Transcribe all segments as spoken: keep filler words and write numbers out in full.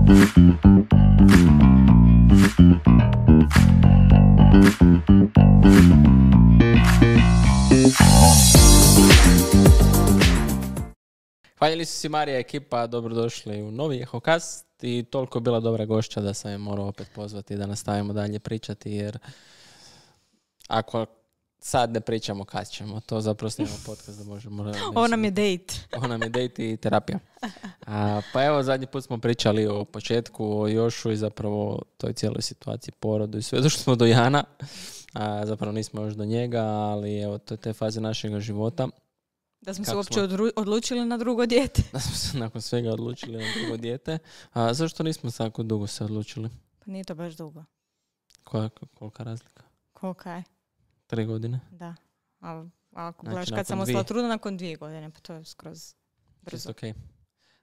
Hvaljeli su si Marija ekipa, dobrodošli u novi Ehokast i toliko je bila dobra gošća da sam je morao opet pozvati da nastavimo dalje pričati, jer ako sad ne pričamo kad ćemo, to zapravo snimamo podcast da možemo... Ovo nam je date. Ovo nam je date i terapija. A, pa evo, zadnji put smo pričali o početku, o Jošu i zapravo toj cijeloj situaciji, porodu i sve. Došli smo do Jana, a, zapravo nismo još do njega, ali evo, to je te faze našega života. Da smo Kako se uopće smo... Odru- odlučili na drugo dijete. Da smo se nakon svega odlučili na drugo dijete. A zašto nismo tako dugo se odlučili? Pa nije to baš dugo. Koja, kolika razlika? Kolika je? Tri godine. Da. A ako znači, gledaš kad sam ostala trudna, nakon dvije godine, pa to je skroz brzo. Okay.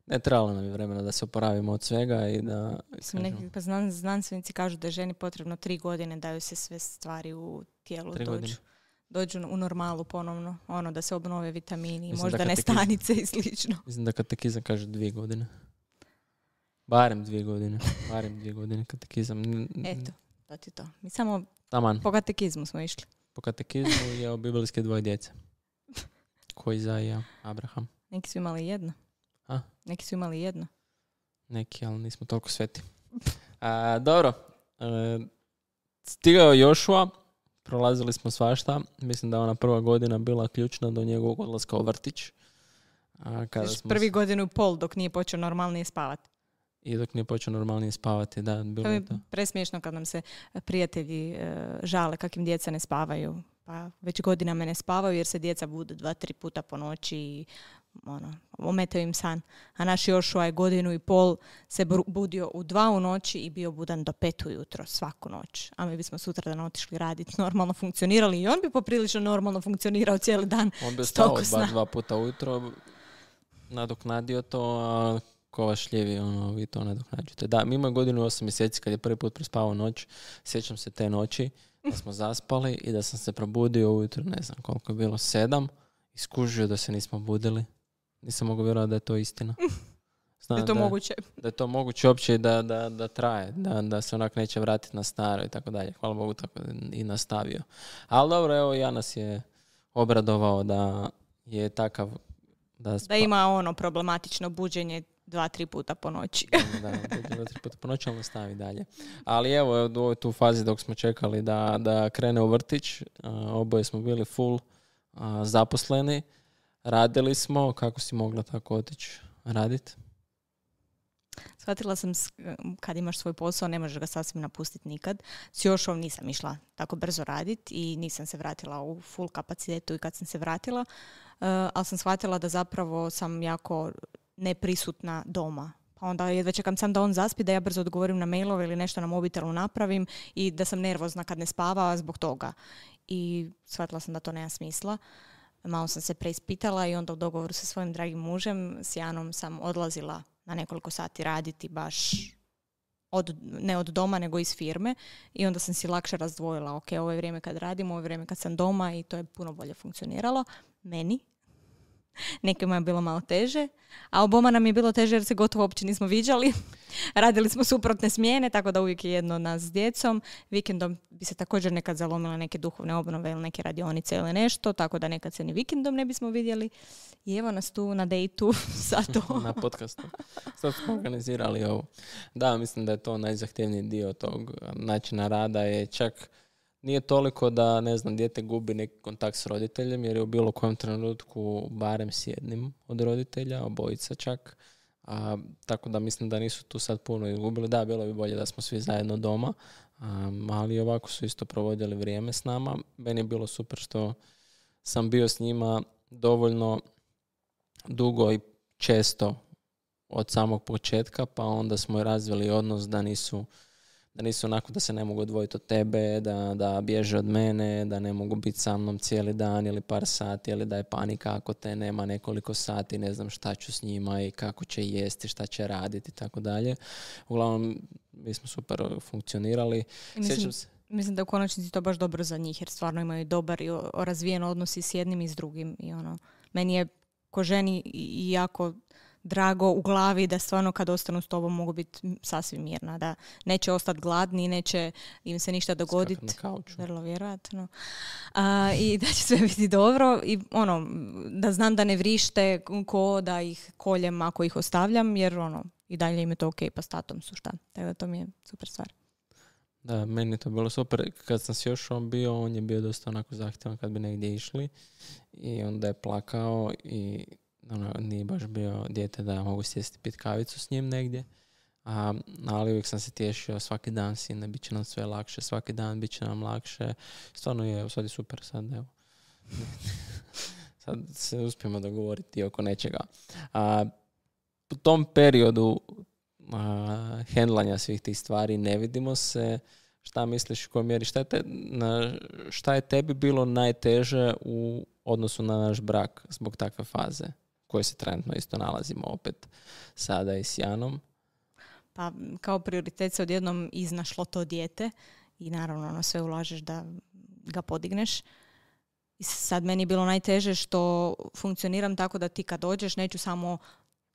Ne, trebalo nam je vremena da se oporavimo od svega i da... Neki, pa znan, znanstvenici kažu da je ženi potrebno tri godine da joj se sve stvari u tijelu tri dođu. Godine. dođu u normalu ponovno, ono da se obnove vitamini, mislim možda ne stanice i slično. Mislim da katekizam kaže dvije godine. Barem dvije godine. Barem dvije godine katekizam. Eto, to ti to. Mi samo Taman. Po katekizmu smo išli. Po katekizmu je o biblijske dvoje djece. Koji Izaija, Abraham. Neki su imali jedno. A? Neki su imali jedno. Neki, ali nismo toliko sveti. A, dobro. E, stigao je Jošua. Prolazili smo svašta. Mislim da ona prva godina bila ključna do njegovog odlaska u vrtić. A kada smo prvi s... godinu i pol dok nije počeo normalnije spavati. I dok nije počeo normalnije spavati, da. Bilo to je to. Presmiješno kad nam se prijatelji e, žale kakim djeca ne spavaju. Pa već godinama ne spavaju jer se djeca budu dva, tri puta po noći i ono, ometaju im san. A naš Jošua je godinu i pol se budio u dva u noći i bio budan do pet ujutro svaku noć. A mi bismo sutradan otišli raditi, normalno funkcionirali i on bi poprilično normalno funkcionirao cijeli dan. On bi stao bar dva puta ujutro, nadoknadio to, a ko vas šljivi, ono, vi to nadoknađujete. Da, mi imamo godinu i osam mjeseci kad je prvi put prespavao noć. Sjećam se te noći da smo zaspali i da sam se probudio ujutro, ne znam koliko je bilo, sedam, i skužio da se nismo budili. Nisam mogu vjerovati da je to istina. Znam, da je to da, moguće. Da je to moguće uopće da, da, da traje, da, da se onak neće vratiti na staro i tako dalje. Hvala Bogu, tako i nastavio. Ali dobro, evo, ja nas je obradovao da je takav... Da, spa... da ima ono problematično buđenje dva, tri puta po noći. da, da, dva, tri puta po noći, ali nastavi dalje. Ali evo, u ovoj tu fazi dok smo čekali da, da krene u vrtić, oboje smo bili full a, zaposleni. Radili smo, kako si mogla tako otići raditi? Shvatila sam kad imaš svoj posao, ne možeš ga sasvim napustiti nikad. S Jošom nisam išla tako brzo raditi i nisam se vratila u full kapacitetu i kad sam se vratila, uh, ali sam shvatila da zapravo sam jako neprisutna doma. Pa onda jedva čekam sam da on zaspi, da ja brzo odgovorim na mailove ili nešto na mobitelu napravim i da sam nervozna kad ne spava zbog toga. I shvatila sam da to nema smisla. Malo sam se preispitala i onda u dogovoru sa svojim dragim mužem, s Janom, sam odlazila na nekoliko sati raditi baš od, ne od doma nego iz firme i onda sam si lakše razdvojila. Ok, ovo je vrijeme kad radim, ovo je vrijeme kad sam doma i to je puno bolje funkcioniralo. Meni. Nekima je bilo malo teže, a oboma nam je bilo teže jer se gotovo uopće nismo viđali. Radili smo suprotne smjene, tako da uvijek je jedno od nas s djecom. Vikendom bi se također nekad zalomile neke duhovne obnove ili neke radionice ili nešto, tako da nekad se ni vikendom ne bismo vidjeli. I evo nas tu na dejtu sa to. Na podcastu. Sad smo organizirali ovo. Da, mislim da je to najzahtjevniji dio tog načina rada, je čak nije toliko da, ne znam, dijete gubi neki kontakt s roditeljem, jer je u bilo kojem trenutku barem s jednim od roditelja, obojica čak. A, tako da mislim da nisu tu sad puno izgubili. Da, bilo bi bolje da smo svi zajedno doma, a, ali ovako su isto provodili vrijeme s nama. Meni je bilo super što sam bio s njima dovoljno dugo i često od samog početka, pa onda smo i razvili odnos da nisu da nisu onako da se ne mogu odvojiti od tebe, da, da bježe od mene, da ne mogu biti sa mnom cijeli dan ili par sati, ili da je panika ako te nema nekoliko sati, ne znam šta ću s njima i kako će jesti, šta će raditi i tako dalje. Uglavnom, mi smo super funkcionirali. Mislim, Sjećam se. Mislim da u konačnici to baš dobro za njih, jer stvarno imaju dobar i razvijen odnos i s jednim i s drugim. I ono, meni je ko ženi i jako drago u glavi, da stvarno kad ostanu s tobom mogu biti sasvim mirna, da neće ostati gladni, neće im se ništa dogoditi. Vrlo vjerojatno. A, I da će sve biti dobro i ono, da znam da ne vrište ko da ih koljem ako ih ostavljam, jer ono, i dalje im je to ok, pa s tatom su šta. Tako da to mi je super stvar. Da, meni je to bilo super. Kad sam s još on bio, on je bio dosta onako zahtjevan kad bi negdje išli i onda je plakao i ono, nije baš bio dijete da mogu sjesti pit kavicu s njim negdje. A, ali uvijek sam se tješio svaki dan, sine, bit će nam sve lakše, svaki dan bit će nam lakše. Stvarno je, sad je super, sad evo. Sad se uspijemo dogovoriti oko nečega. A, u tom periodu a, hendlanja svih tih stvari ne vidimo se. Šta misliš u kojoj mjeri? Šta je, te, na, šta je tebi bilo najteže u odnosu na naš brak zbog takve faze koje se trenutno isto nalazimo opet sada i s Janom? Pa kao prioritet se odjednom iznašlo to dijete i naravno ono sve ulažeš da ga podigneš. I sad meni je bilo najteže što funkcioniram tako da ti kad dođeš neću samo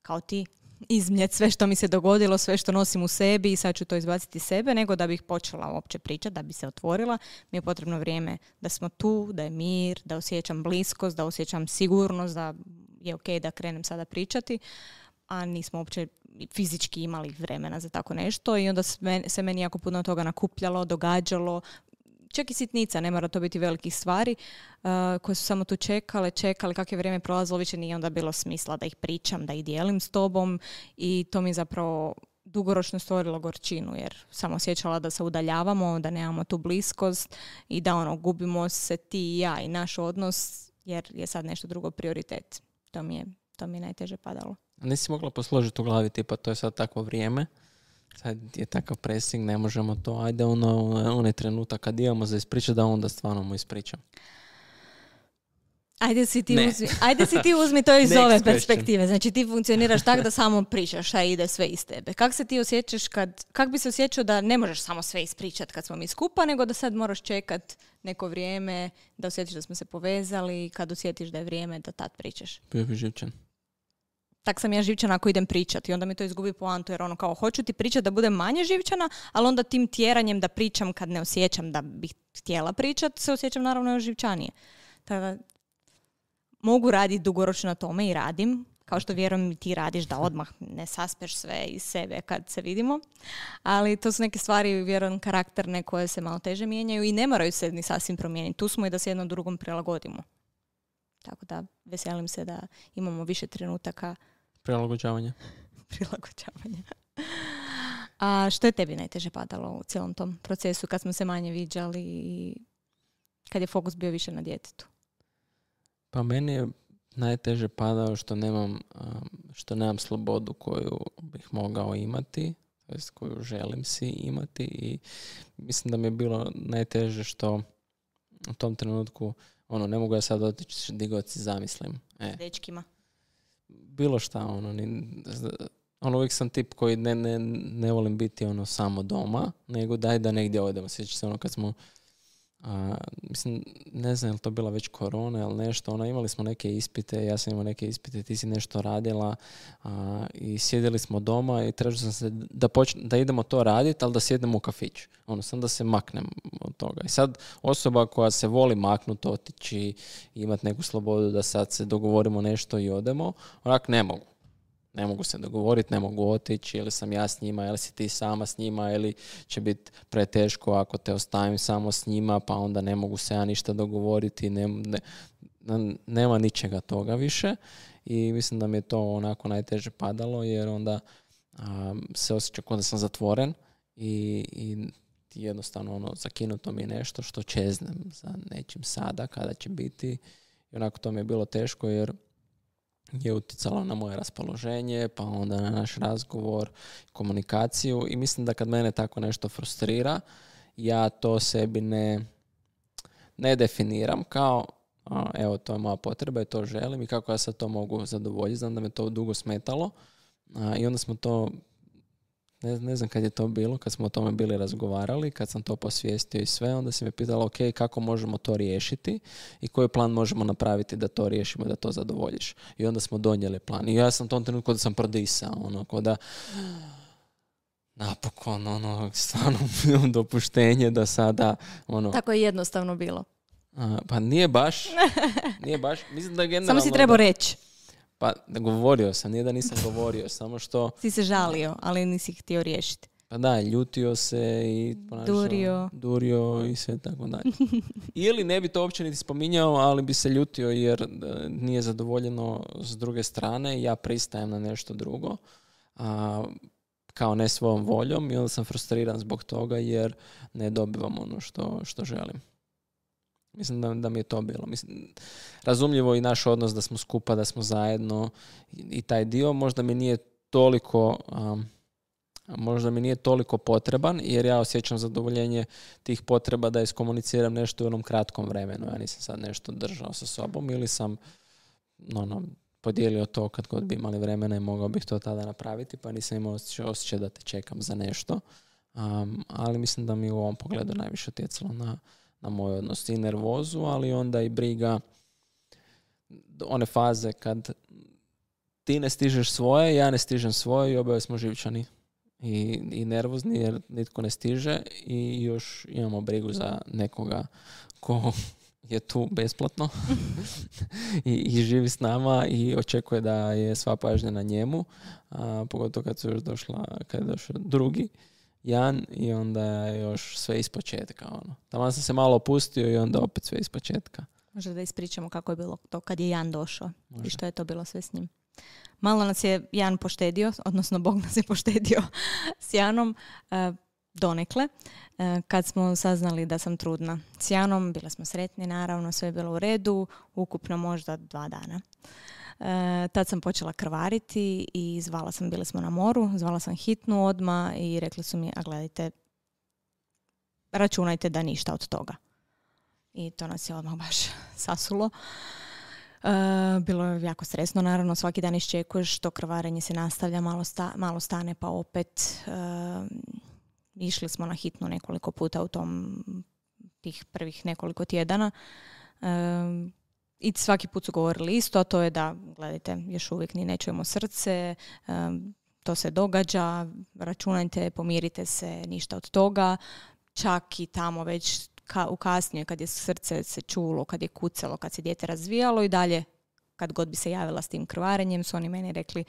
kao ti izmljeti sve što mi se dogodilo, sve što nosim u sebi i sad ću to izbaciti iz sebe, nego da bih počela uopće pričati, da bi se otvorila. Mi je potrebno vrijeme da smo tu, da je mir, da osjećam bliskost, da osjećam sigurnost, da je ok da krenem sada pričati, a nismo uopće fizički imali vremena za tako nešto i onda se meni jako puno toga nakupljalo, događalo, čak i sitnica, ne mora to biti velikih stvari, uh, koje su samo tu čekale, čekale, kako je vrijeme prolazilo, više nije onda bilo smisla da ih pričam, da ih dijelim s tobom i to mi je zapravo dugoročno stvorilo gorčinu, jer sam osjećala da se udaljavamo, da nemamo tu bliskost i da ono, gubimo se ti i ja i naš odnos, jer je sad nešto drugo prioritet. To mi je, to mi je najteže padalo. Nisi mogla posložiti u glavi, tipa to je sad takvo vrijeme, sad je takav pressing, ne možemo to, ajde ono, onaj trenutak kad imamo za ispričati, da onda stvarno mu ispričam. Ajde si ti uzmi, ajde si ti uzmi to iz ove perspektive. Znači ti funkcioniraš tako da samo pričaš, a ide sve iz tebe. Kako se ti osjećaš kad, kak bi se osjećao da ne možeš samo sve ispričati kad smo mi skupa, nego da sad moraš čekat neko vrijeme, da osjetiš da smo se povezali, kad osjetiš da je vrijeme da tad pričaš? Bio bi živčan. Tak sam ja živčana ako idem pričati i onda mi to izgubi poantu, jer ono kao hoću ti pričati da budem manje živčana, ali onda tim tjeranjem da pričam kad ne osjećam da bih htjela pričati, se osjećam naravno još živčanije. Tako da mogu raditi dugoročno na tome i radim, kao što vjerujem i ti radiš, da odmah ne saspeš sve iz sebe kad se vidimo. Ali to su neke stvari, vjerujem, karakterne koje se malo teže mijenjaju i ne moraju se ni sasvim promijeniti. Tu smo i da se jedno drugom prilagodimo. Tako da veselim se da imamo više trenutaka prilagođavanja. prilagođavanja. A što je tebi najteže padalo u cijelom tom procesu kad smo se manje viđali i kad je fokus bio više na djetetu? Pa meni je najteže padao što nemam, što nemam slobodu koju bih mogao imati, tj. koju želim si imati i mislim da mi je bilo najteže što u tom trenutku ono, ne mogu ja sad otići digot si zamislim. E. Dečkima. Bilo šta, ono, ni, ono, uvijek sam tip koji ne, ne, ne volim biti ono samo doma, nego daj da negdje odemo. Sjeća se ono kad smo, a, mislim, ne znam je li to bila već korona ili nešto, ono, imali smo neke ispite, ja sam imao neke ispite, ti si nešto radila a, i sjedili smo doma i tražio sam se da, počne, da idemo to raditi, ali da sjednemo u kafić. Ono, sam da se maknem od toga. I sad osoba koja se voli maknuti, otići i imati neku slobodu da sad se dogovorimo nešto i odemo, onak ne mogu. Ne mogu se dogovoriti, ne mogu otići, ili sam ja s njima, ili si ti sama s njima, ili će biti preteško ako te ostavim samo s njima, pa onda ne mogu se ja ništa dogovoriti, ne, ne, nema ničega toga više i mislim da mi je to onako najteže padalo, jer onda a, se osjeća kao da sam zatvoren i, i jednostavno ono, zakinuto mi je nešto što čeznem za nečim sada, kada će biti i onako to mi je bilo teško jer je utjecalo na moje raspoloženje, pa onda na naš razgovor, komunikaciju i mislim da kad mene tako nešto frustrira, ja to sebi ne, ne definiram kao a, evo to je moja potreba i to želim i kako ja sad to mogu zadovoljiti. Znam da me to dugo smetalo a, i onda smo to ne, ne znam kad je to bilo, kad smo o tome bili razgovarali, kad sam to posvijestio i sve, onda si me pitala, ok, kako možemo to riješiti i koji plan možemo napraviti da to riješimo, da to zadovoljiš. I onda smo donijeli plan. I ja sam u tom trenutku da sam prodisao, ono, ko da napokon, ono, stvarno dopuštenje da sada, ono... Tako je jednostavno bilo. A, pa nije baš, nije baš, mislim da generalno... Samo si trebao reći. Pa govorio sam, nije da nisam govorio, samo što... Si se žalio, ali nisi htio riješiti. Pa da, ljutio se i ponašao, durio. durio i sve tako dalje. Ili ne bi to uopće niti spominjao, ali bi se ljutio jer nije zadovoljeno s druge strane. Ja pristajem na nešto drugo, a, kao ne svojom voljom i onda sam frustriran zbog toga jer ne dobivam ono što, što želim. Mislim da, da mi je to bilo. Mislim, razumljivo i naš odnos da smo skupa, da smo zajedno i, i taj dio možda mi nije toliko... Um, možda mi nije toliko potreban, jer ja osjećam zadovoljenje tih potreba da iskomuniciram nešto u onom kratkom vremenu. Ja nisam sad nešto držao sa sobom ili sam no, no, podijelio to kad god bi imali vremena i mogao bih to tada napraviti, pa nisam imao osjećaj, osjećaj da te čekam za nešto. Um, ali mislim da mi u ovom pogledu najviše utjecalo na, na moj odnos i nervozu, ali onda i briga one faze kad ti ne stižeš svoje, ja ne stižem svoje i oboje smo živčani. I, i nervozni jer nitko ne stiže i još imamo brigu za nekoga ko je tu besplatno I, i živi s nama i očekuje da je sva pažnja na njemu, a, pogotovo kad su još došla, kad je došao drugi Jan i onda je još sve ispočetka. Ono. Tamo sam se malo opustio i onda opet sve ispočetka. Možda da ispričamo kako je bilo to kad je Jan došao. Može. I što je to bilo sve s njim. Malo nas je Jan poštedio, odnosno Bog nas je poštedio s Janom e, donekle. E, kad smo saznali da sam trudna s Janom, bili smo sretni, naravno, sve je bilo u redu, ukupno možda dva dana. E, tad sam počela krvariti i zvala sam, bili smo na moru, zvala sam hitnu odmah i rekli su mi, a gledajte, računajte da ništa od toga. I to nas je odmah baš sasulo. Uh, bilo je jako stresno, naravno, svaki dan iščekuješ, to krvarenje se nastavlja, malo, sta, malo stane pa opet. Uh, išli smo na hitnu nekoliko puta u tom tih prvih nekoliko tjedana. Uh, I svaki put su govorili isto, a to je da, gledajte, još uvijek ni ne čujemo srce, uh, to se događa, računajte, pomirite se, ništa od toga. Čak i tamo već Ka, u kasnije kad je srce se čulo, kad je kucalo, kad se dijete razvijalo i dalje kad god bi se javila s tim krvarenjem su oni meni rekli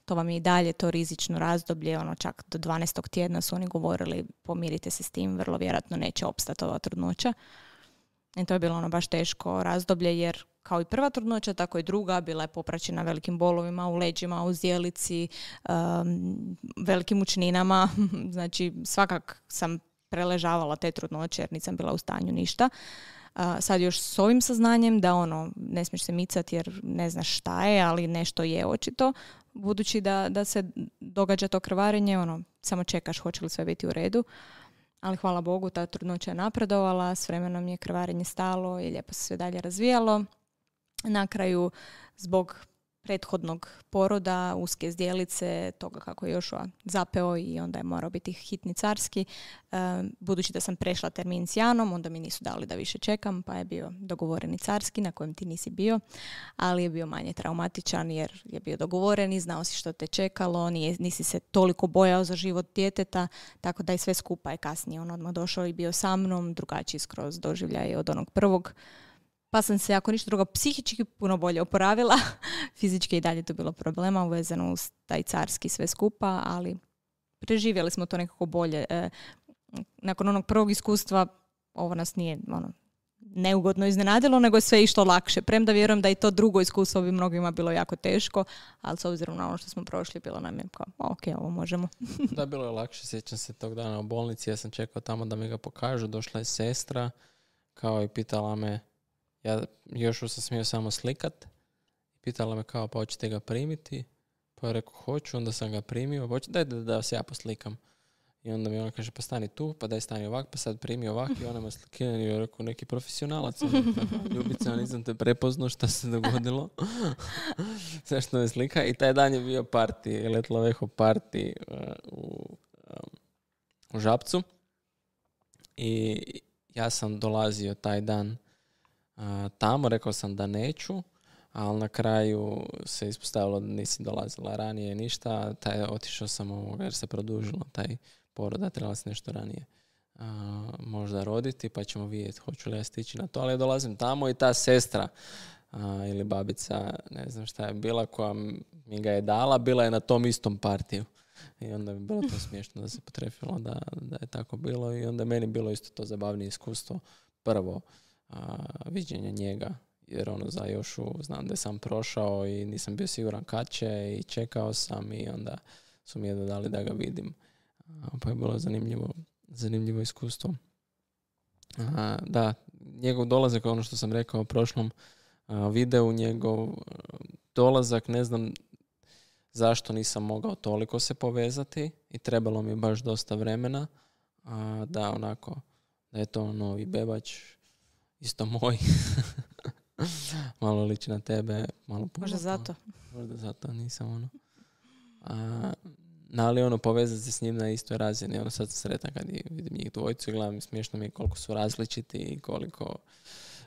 to vam je i dalje to rizično razdoblje, ono čak do dvanaestog tjedna su oni govorili pomirite se s tim, vrlo vjerojatno neće opstati ova trudnoća. I to je bilo ono baš teško razdoblje jer kao i prva trudnoća, tako i druga bila je popraćena velikim bolovima u leđima, u zdjelici, um, velikim učninama, znači svakak sam preležavala te trudnoće jer nisam bila u stanju ništa. Uh, sad još s ovim saznanjem da ono, ne smiješ se micati jer ne znaš šta je, ali nešto je očito. Budući da, da se događa to krvarenje, ono, samo čekaš hoće li sve biti u redu. Ali hvala Bogu, ta trudnoća je napredovala, s vremenom je krvarenje stalo i lijepo se sve dalje razvijalo. Na kraju, zbog prethodnog poroda, uske zdjelice, toga kako je Jošua zapeo i onda je morao biti hitni carski. E, budući da sam prešla termin s Janom, onda mi nisu dali da više čekam, pa je bio dogovoreni carski na kojem ti nisi bio, ali je bio manje traumatičan jer je bio dogovoren i znao si što te čekalo, nije, nisi se toliko bojao za život djeteta, tako da i sve skupa je kasnije on odmah došao i bio sa mnom, drugačiji skroz doživljaj od onog prvog. Pa sam se, ako ništa drugo, psihički puno bolje oporavila. Fizički i dalje to bilo problema uvezano uz taj carski sve skupa, ali preživjeli smo to nekako bolje. E, nakon onog prvog iskustva, ovo nas nije ono, neugodno iznenadilo, nego je sve išlo lakše. Premda vjerujem da i to drugo iskustvo bi mnogima bilo jako teško, ali s obzirom na ono što smo prošli, bilo nam je kao, ok, ovo možemo. Da, bilo je lakše. Sjećam se tog dana u bolnici, ja sam čekao tamo da mi ga pokažu. Došla je sestra, kao i pitala me, ja još sam smio samo slikat. Pitala me kao, pa hoćete ga primiti? Pa je rekao, hoću, onda sam ga primio. Hoće, daj da, da vas ja poslikam. I onda mi ona kaže, pa stani tu, pa daj stani ovak, pa sad primi ovak. I ona me slikira i je rekao, neki profesionalac. Ljubica, nisam te prepoznao, šta se dogodilo. Sve što me slika. I taj dan je bio parti, Letla Veho parti uh, u, um, u Žabcu. I ja sam dolazio taj dan uh, tamo, rekao sam da neću, ali na kraju se ispostavilo da nisi dolazila ranije ništa. Taj, otišao sam ovoga jer se produžilo taj porod, da trebala se nešto ranije uh, možda roditi, pa ćemo vidjeti hoću li ja stići na to. Ali ja dolazim tamo i ta sestra uh, ili babica, ne znam šta je bila, koja mi ga je dala, bila je na tom istom partiju. I onda bi bilo to smiješno da se potrefilo da, da je tako bilo. I onda meni bilo isto to zabavnije iskustvo. Prvo, uh, viđenje njega, jer ono za Jošu znam da sam prošao i nisam bio siguran kad će i čekao sam i onda su mi jedno dali da ga vidim. Pa je bilo zanimljivo, zanimljivo iskustvo. A, da, njegov dolazak, ono što sam rekao u prošlom a, videu, njegov a, dolazak, ne znam zašto nisam mogao toliko se povezati i trebalo mi baš dosta vremena a, da onako, da je to novi bebač, isto moj. Malo liči na tebe, malo puno. Možda zato. Možda zato nisam ono. A, ali ono, povezati se s njim na istoj razini. Ono, sad sam sretan kad vidim njih dvojicu i gledam, smiješno mi je koliko su različiti i koliko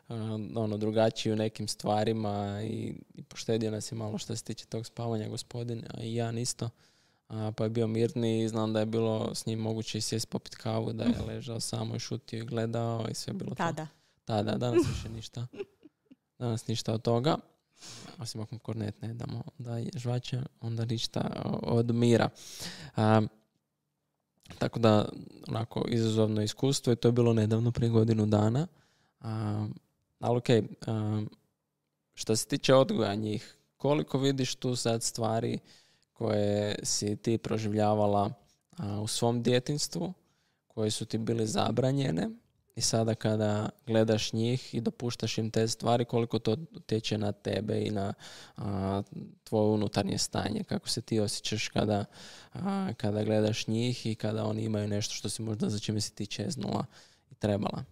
uh, ono, drugačiji u nekim stvarima i, i poštedio nas je malo što se tiče tog spavanja gospodin, a i ja isto. A, pa je bio mirniji i znam da je bilo s njim moguće i sjest popit kavu, da je ležao samo i šutio i gledao i sve je bilo Tada. to. Tada. Danas više ništa. Danas ništa od toga. Osim ako kornet ne damo da je žvače, onda ništa od mira. A, tako da, onako, izazovno iskustvo i to je bilo nedavno, prije godinu dana. A, ali okej, okay, što se tiče odgoja njih, koliko vidiš tu sad stvari koje si ti proživljavala a, u svom djetinjstvu, koje su ti bile zabranjene, i sada kada gledaš njih i dopuštaš im te stvari, koliko to utječe na tebe i na a, tvoje unutarnje stanje, kako se ti osjećaš kada, a, kada gledaš njih i kada oni imaju nešto što si možda za čime si ti čeznula i trebala.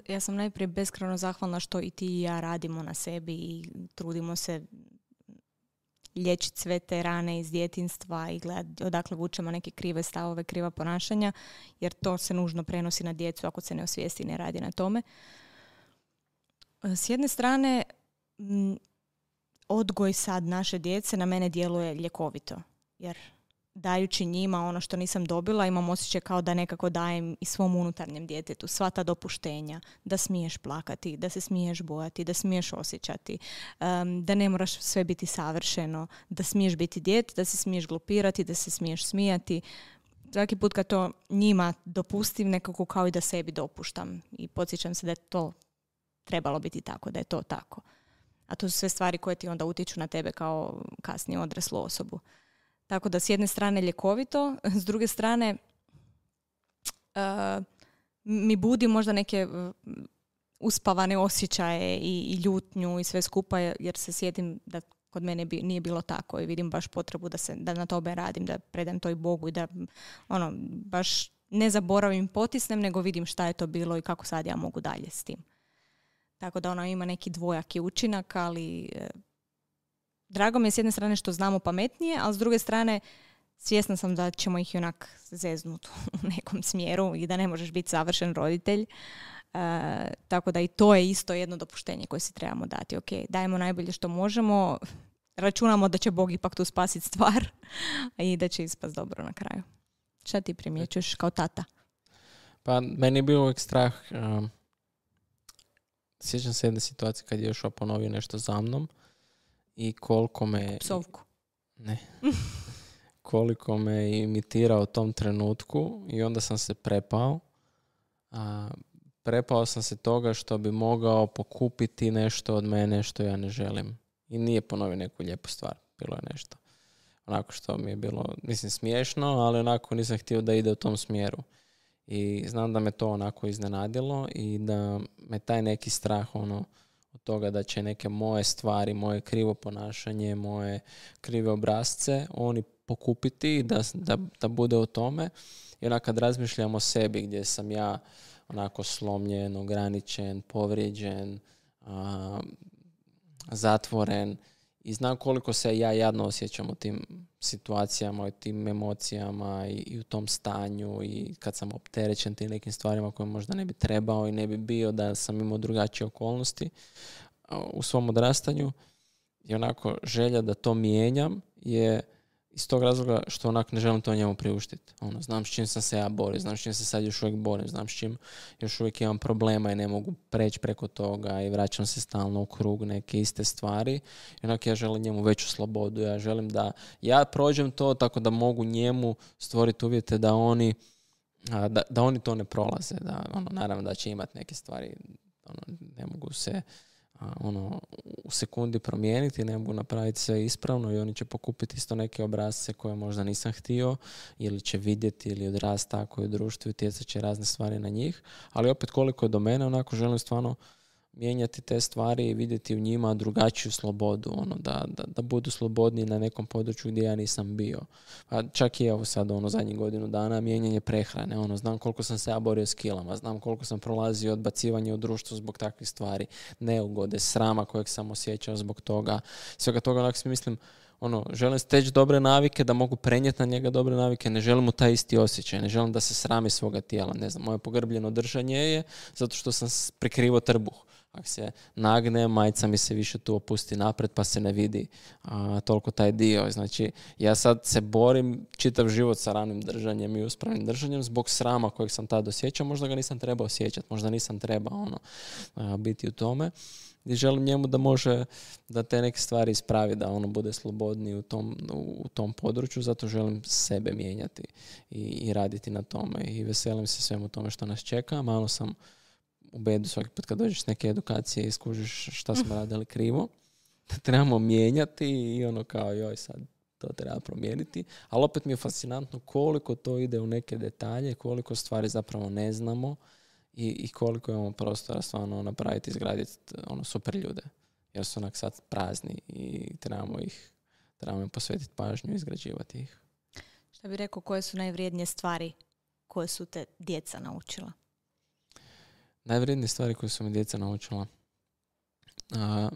Ja sam najprije beskrajno zahvalna što i ti i ja radimo na sebi i trudimo se liječiti sve te rane iz djetinjstva i gledati odakle vučemo neke krive stavove, kriva ponašanja, jer to se nužno prenosi na djecu ako se ne osvijesti i ne radi na tome. S jedne strane, odgoj sad naše djece na mene djeluje ljekovito, jer dajući njima ono što nisam dobila, imam osjećaj kao da nekako dajem i svom unutarnjem djetetu sva ta dopuštenja, da smiješ plakati, da se smiješ bojati, da smiješ osjećati, um, da ne moraš sve biti savršeno, da smiješ biti dijete, da se smiješ glupirati, da se smiješ smijati. Svaki put kad to njima dopustim, nekako kao i da sebi dopuštam i podsjećam se da je to trebalo biti tako, da je to tako. A to su sve stvari koje ti onda utječu na tebe kao kasnije odraslu osobu. Tako da s jedne strane ljekovito, s druge strane uh, mi budi možda neke uspavane osjećaje i, i ljutnju i sve skupa, jer se sjetim da kod mene bi, nije bilo tako i vidim baš potrebu da, se, da na tome radim, da predam to i Bogu i da ono, baš ne zaboravim, potisnem, nego vidim šta je to bilo i kako sad ja mogu dalje s tim. Tako da ono ima neki dvojaki učinak, ali drago mi je s jedne strane što znamo pametnije, ali s druge strane svjesna sam da ćemo ih onak zeznuti u nekom smjeru i da ne možeš biti savršen roditelj. Uh, tako da i to je isto jedno dopuštenje koje si trebamo dati. Ok, dajemo najbolje što možemo, računamo da će Bog ipak tu spasiti stvar i da će ispast dobro na kraju. Šta ti primjećuješ kao tata? Pa meni je bilo uvijek strah. Um, sjećam se jedne situacije kad je Jošua ponovio nešto za mnom i koliko me... Psovku. Ne. Koliko me imitirao u tom trenutku i onda sam se prepao. A, prepao sam se toga što bi mogao pokupiti nešto od mene što ja ne želim. I nije ponovio neku lijepu stvar. Bilo je nešto. Onako što mi je bilo, mislim, smiješno, ali onako nisam htio da ide u tom smjeru. I znam da me to onako iznenadilo i da me taj neki strah ono, od toga da će neke moje stvari, moje krivo ponašanje, moje krive obrazce, oni pokupiti, da, da, da bude u tome. I onak kad razmišljam o sebi gdje sam ja onako slomljen, ograničen, povrijeđen, a, zatvoren i znam koliko se ja jadno osjećam u tim situacijama, u tim emocijama i, i u tom stanju i kad sam opterećen tim nekim stvarima koje možda ne bi trebao i ne bi bio da sam imao drugačije okolnosti u svom odrastanju. I onako želja da to mijenjam je iz tog razloga što onak ne želim to njemu priuštiti. Ono, znam s čim sam se ja borio, znam s čim se sad još uvijek borim, znam s čim još uvijek imam problema i ne mogu preći preko toga i vraćam se stalno u krug neke iste stvari. I onak ja želim njemu veću slobodu, ja želim da ja prođem to tako da mogu njemu stvoriti uvjete da oni, da, da oni to ne prolaze. Da, ono, naravno da će imati neke stvari, ono, ne mogu se ono, u sekundi promijeniti, ne mogu napraviti sve ispravno i oni će pokupiti isto neke obrasce koje možda nisam htio ili će vidjeti ili odrasti tako i u društvu i utjecat će razne stvari na njih, ali opet koliko je do mene, onako želim stvarno mijenjati te stvari i vidjeti u njima drugačiju slobodu, ono, da, da, da budu slobodniji na nekom području gdje ja nisam bio. Pa čak i evo sad ono, zadnjih godinu dana mijenjanje prehrane, ono, znam koliko sam se ja borio s kilama, znam koliko sam prolazio odbacivanje u društvu zbog takvih stvari, neugode, srama kojeg sam osjećao zbog toga, svega toga, onak si mislim, ono, želim steći dobre navike, da mogu prenijeti na njega dobre navike, ne želim mu taj isti osjećaj, ne želim da se srami svoga tijela, ne znam, moje pogrbljeno držanje je zato što sam prekrivo trbuh. Ako se nagne, majica mi se više tu opusti napred pa se ne vidi a, toliko taj dio. Znači, ja sad se borim čitav život sa ranim držanjem i uspravnim držanjem zbog srama kojeg sam tad osjećao. Možda ga nisam trebao osjećati, možda nisam trebao ono, a, biti u tome. I želim njemu da može da te neke stvari ispravi, da ono bude slobodniji u tom, u tom području, zato želim sebe mijenjati i, i raditi na tome. I veselim se svemu tome što nas čeka. Malo sam u bedu svaki put kad dođeš s neke edukacije i skužiš šta smo radili krivo, da trebamo mijenjati i ono kao joj sad to treba promijeniti, ali opet mi je fascinantno koliko to ide u neke detalje, koliko stvari zapravo ne znamo i, i koliko imamo prostora stvarno napraviti, izgraditi ono super ljude, jer su onak sad prazni i trebamo ih trebamo im posvetiti pažnju i izgrađivati ih. Šta bi rekao, koje su najvrijednije stvari koje su te djeca naučila? Najvrijednije stvari koje su mi djeca naučila. A,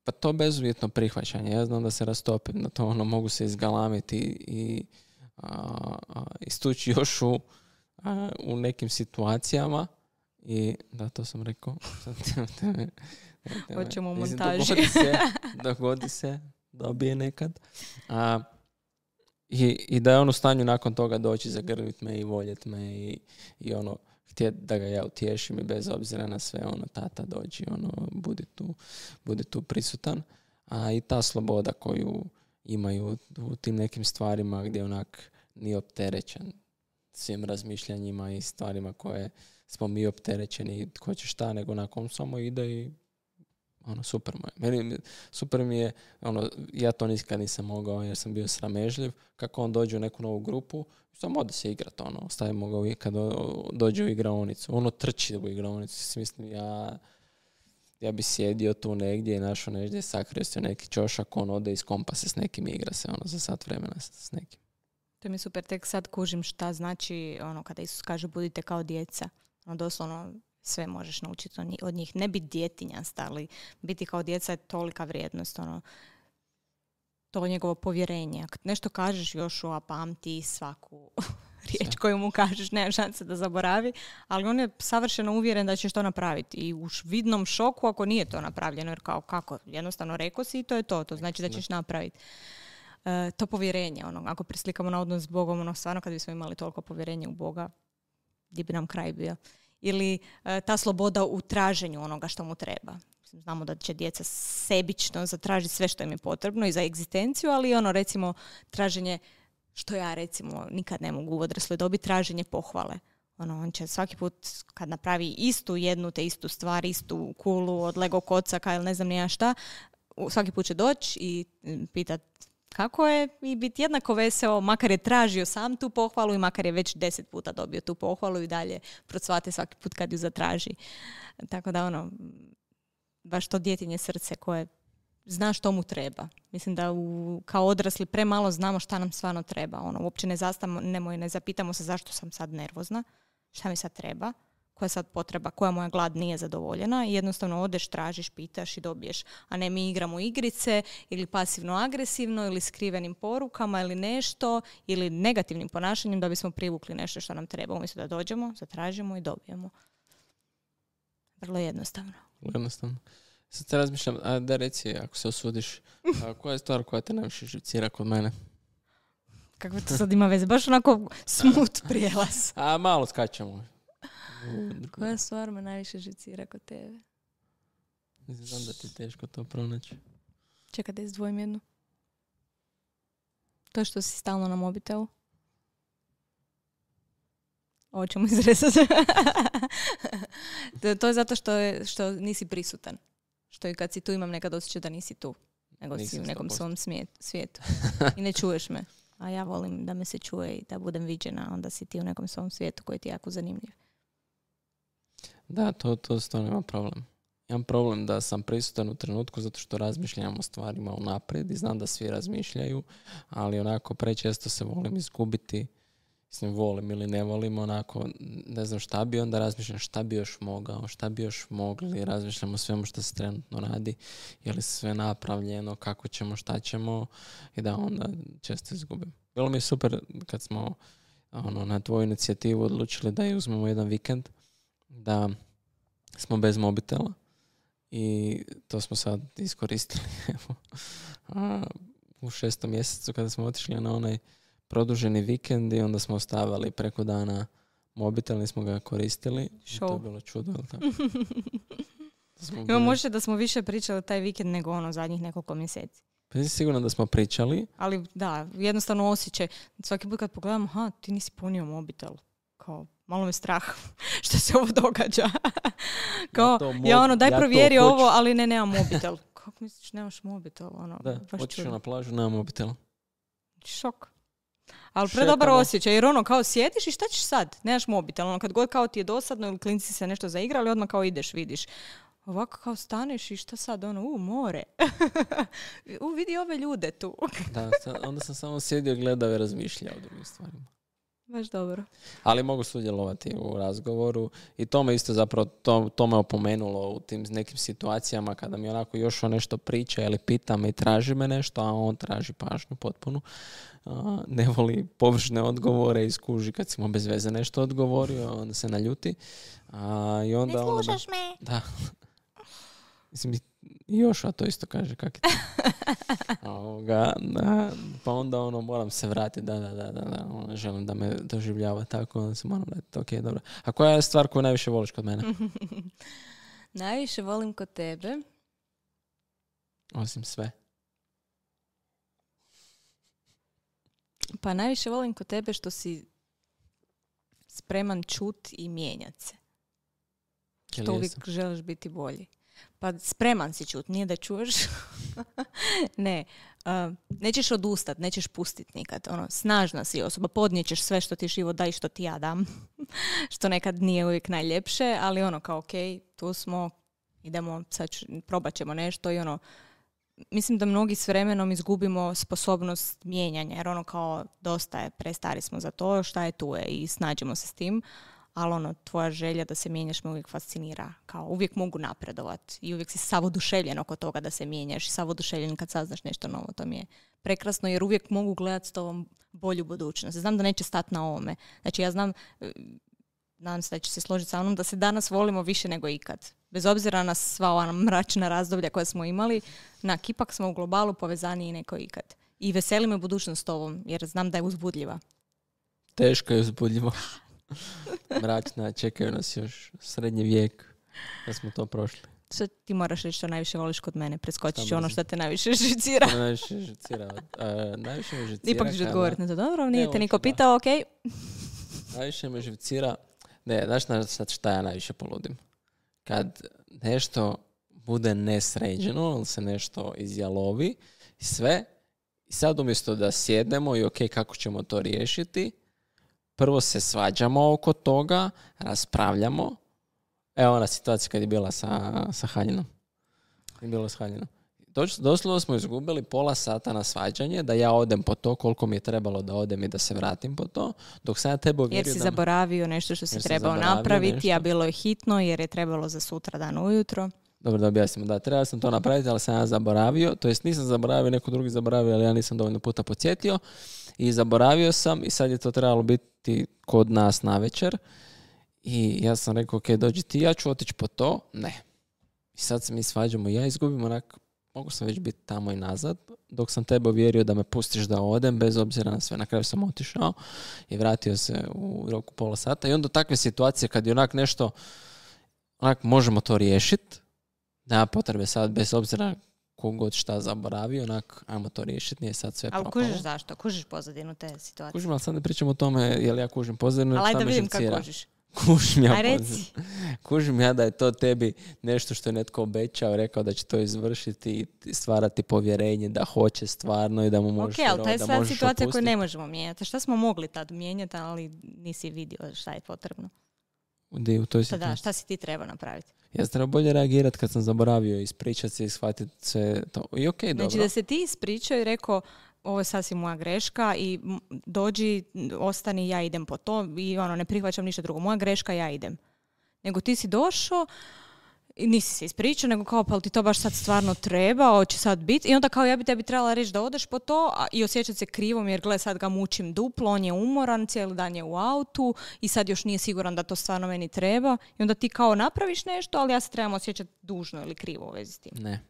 pa to bezuvjetno prihvaćanje. Ja znam da se rastopim na to, ono, mogu se izgalamiti i a, a, istući još u, a, u nekim situacijama i da, to sam rekao. Hoćemo u montaži. Dogodi se, dogodi se, dobije nekad. A, I, I da je on u stanju nakon toga doći, zagrlit me i voljet me i, i ono, htjeti da ga ja utješim i bez obzira na sve, ono, tata dođi, ono, budi tu, budi tu prisutan. A i ta sloboda koju imaju u tim nekim stvarima gdje onak nije opterećen svim razmišljanjima i stvarima koje smo mi opterećeni i ko će šta, nego nakon samo ide i ono, super mu je. Meni, super mi je, ono, ja to nikad nisam mogao jer sam bio sramežljiv, kako on dođe u neku novu grupu, samo ode se igrat, ono, stavimo ga kad dođe u igraonicu, ono trči u igraonicu, mislim, ja ja bi sjedio tu negdje i našao negdje, sakrio se neki čošak, on ode iz kompa se s nekim igra se, ono, za sat vremena s nekim. To mi je super, tek sad kužim šta znači, ono, kada Isus kaže budite kao djeca, ono, doslovno sve možeš naučiti od njih. Ne biti djetinjast, ali biti kao djeca je tolika vrijednost. Ono, to njegovo povjerenje. Kad nešto kažeš Jošua, pamti svaku riječ koju mu kažeš, nema šanse da zaboravi, ali on je savršeno uvjeren da ćeš to napraviti. I u vidnom šoku ako nije to napravljeno, jer kao kako, jednostavno rekao si i to je to. To znači da ćeš napraviti. E, to povjerenje, ono, ako preslikamo na odnos s Bogom, ono, stvarno kad bismo imali toliko povjerenja u Boga, gdje bi nam kraj bio. Ili e, ta sloboda u traženju onoga što mu treba. Znamo da će djeca sebično zatražiti sve što im je potrebno i za egzistenciju, ali ono, recimo, traženje, što ja recimo nikad ne mogu u odrasloj dobi, traženje pohvale. Ono, on će svaki put kad napravi istu jednu te istu stvar, istu kulu od Lego kocaka ili ne znam ni ja šta, svaki put će doći i pitat kako je i biti jednako veseo, makar je tražio sam tu pohvalu i makar je već deset puta dobio tu pohvalu i dalje procvate svaki put kad ju zatraži. Tako da ono, baš to djetinje srce koje zna što mu treba. Mislim da u, kao odrasli premalo znamo šta nam stvarno treba. Ono, uopće ne zastanemo i ne zapitamo se zašto sam sad nervozna, šta mi sad treba, koja je sad potreba, koja moja glad nije zadovoljena i jednostavno odeš, tražiš, pitaš i dobiješ. A ne mi igramo igrice ili pasivno-agresivno ili skrivenim porukama ili nešto ili negativnim ponašanjem da bismo privukli nešto što nam treba. Umjesto da dođemo, zatražimo i dobijemo. Vrlo jednostavno. Jednostavno. Sad se razmišljam, a da reci, ako se osudiš, a koja je stvar koja te najviše živcira kod mene? Kako to sad ima veze? Baš onako smut prijelaz. A malo skačemo. Koja stvar me najviše živcira kod tebe? Znam da ti je teško to pronaći. Čekaj da izdvojim jednu. To što si stalno na mobitelu. Ovo ćemo izrezati. to, to je zato što, je, što nisi prisutan. Što i kad si tu imam nekad osjećaj da nisi tu. Nego Nisam si u nekom svom svijetu. I ne čuješ me. A ja volim da me se čuje i da budem viđena. Onda si ti u nekom svom svijetu koji ti je jako zanimljiv. Da, to, to stvarno ima problem. Imam problem da sam prisutan u trenutku zato što razmišljam o stvarima unaprijed i znam da svi razmišljaju, ali onako prečesto se volim izgubiti. Mislim, volim ili ne volim, onako, ne znam šta bi, onda razmišljam šta bi još mogao, šta bi još mogli, razmišljam o svemu što se trenutno radi, je li sve napravljeno, kako ćemo, šta ćemo i da onda često izgubim. Bilo mi je super kad smo ono, na tvoju inicijativu odlučili da je uzmemo jedan vikend, da smo bez mobitela i to smo sad iskoristili. A u šestom mjesecu kada smo otišli na onaj produženi vikend i onda smo ostavili preko dana mobitel, nismo ga koristili. To je bilo čudo. Ima možda da smo više pričali taj vikend nego ono zadnjih nekoliko mjeseci. Pa nisi sigurno da smo pričali. Ali da, jednostavno osjećaj. Svaki put kad pogledam, aha, ti nisi punio mobitel. Kao, malo me strah što se ovo događa. Kao, ja, mo- ja ono, daj ja provjeri ovo, ali ne, nemam mobitel. Kako misliš, nemaš mobitel? Ono, da, otišao na plažu, nemam mobitel. Šok. Ali predobar osjećaj, jer ono kao sjediš i šta ćeš sad? Nemaš mobitel, ono kad god kao ti je dosadno ili klinci se nešto zaigrali, odmah kao ideš, vidiš. Ovako kao staneš i šta sad, ono, u, more. u, vidi ove ljude tu. Da, onda sam samo sjedio, gledao i razmišljao o drugim stvarima. Baš dobro. Ali mogu sudjelovati u razgovoru i to me isto zapravo, to, to me opomenulo u tim nekim situacijama kada mi onako još o nešto priča ili pita me i traži me nešto, a on traži pažnju potpunu. Uh, ne voli površne odgovore i skuži kad si mu bez veze nešto odgovorio, onda se naljuti. Uh, i onda, ne slušaš onda, me. Da. Mislim, i još, a to isto kaže kak je to. Ovoga, da, pa onda ono, moram se vratiti, da, da, da, da, da ono, želim da me doživljava tako, onda se moram vratiti, ok, dobro. A koja je stvar koju najviše voliš kod mene? Najviše volim kod tebe. Osim sve. Pa najviše volim kod tebe što si spreman čut i mijenjat se. Što uvijek želiš biti bolji. Pa spreman si čut, nije da čuješ. ne, uh, nećeš odustat, nećeš pustit nikad. Ono, snažna si osoba, podnijećeš sve što ti život da i što ti ja dam. što nekad nije uvijek najljepše, ali ono kao ok, tu smo, idemo, sad ću, probat ćemo nešto i ono, mislim da mnogi s vremenom izgubimo sposobnost mijenjanja, jer ono kao dosta je, prestari smo za to, šta je tu je i snađemo se s tim. Ali ono, tvoja želja da se mijenjaš me uvijek fascinira. Kao uvijek mogu napredovat i uvijek si sav oduševljen oko toga da se mijenjaš i sav oduševljen kad saznaš nešto novo. To mi je prekrasno jer uvijek mogu gledati s tobom bolju budućnost. Znam da neće stati na ovome. Znači ja znam, nadam se da će se složiti sa mnom, da se danas volimo više nego ikad. Bez obzira na sva ova mračna razdoblja koja smo imali, nak, ipak smo u globalu povezaniji nego ikad. I veseli me budućnost s tobom jer znam da je uzbudljiva. Teško je uzbudljivo. Mračna, čekaju nas još srednji vijek da smo to prošli. Što ti moraš reći što najviše voliš kod mene? Preskočit ću ono što te najviše žicira. najviše žicira. Uh, najviše me žicira. Ipak ću odgovoriti na to. Dobro, nije te niko pitao, ok. Najviše me žicira. Ne, znaš na sad šta ja najviše poludim? Kad nešto bude nesređeno, ili se nešto izjalovi i sve, i sad umjesto da sjednemo i ok, kako ćemo to riješiti, prvo se svađamo oko toga, raspravljamo. Evo ona situacija kad je bila sa, sa Haljinom. Je bilo s Haljinom. Doć, doslovno smo izgubili pola sata na svađanje, da ja odem po to koliko mi je trebalo da odem i da se vratim po to, dok sam ja tebe uvjerio... Jer si da... zaboravio nešto što si trebao napraviti, nešto. A bilo je hitno jer je trebalo za sutra dan ujutro. Dobro, da objasnimo. Da, trebao sam to napraviti, ali sam ja zaboravio. To jest nisam zaboravio, neko drugi zaboravio, ali ja nisam dovoljno puta podsjetio. I zaboravio sam i sad je to trebalo biti kod nas navečer. I ja sam rekao, ok, dođi ti, ja ću otići po to. Ne. I sad se mi svađamo i ja izgubim onak, mogu sam već biti tamo i nazad, dok sam tebe uvjerio da me pustiš da odem, bez obzira na sve. Na kraju sam otišao i vratio se u roku pola sata. I onda takve situacije kad je onak nešto, onak možemo to riješiti, nema potrebe sad, bez obzira kogod šta zaboravio, onak, ajmo to riješiti, nije sad sve propalo. Ali kužiš zašto? Kužiš pozadinu te situacije? Kužim, ali sad ne pričamo o tome, je li ja kužim pozadinu. Ali ajde da vidim kako kužiš. Kužim ja, kužim ja da je to tebi nešto što je netko obećao, rekao da će to izvršiti i stvarati povjerenje da hoće stvarno i da mu možeš vjerovati. Ok, ali to je sad situacija opustiti. Koju ne možemo mijenjati. Šta smo mogli tad mijenjati, ali nisi vidio šta je potrebno? Di, u toj situaciji. Da, šta si ti trebao napraviti? Ja sam trebao bolje reagirati kad sam zaboravio, ispričati se i shvatiti se to. I ok, dobro. Znači da se ti ispričao i rekao, ovo je sasvim moja greška i dođi, ostani, ja idem po to i ono, ne prihvaćam ništa drugo. Moja greška, ja idem. Nego ti si došao i nisi se ispričao, nego kao, pa li ti to baš sad stvarno treba, hoće sad biti. I onda kao, ja bi tebi trebala reći da odeš po to a, i osjećati se krivom jer gle, sad ga mučim duplo, on je umoran, cijeli dan je u autu i sad još nije siguran da to stvarno meni treba. I onda ti kao napraviš nešto, ali ja se trebam osjećati dužno ili krivo u vezi s tim. Ne.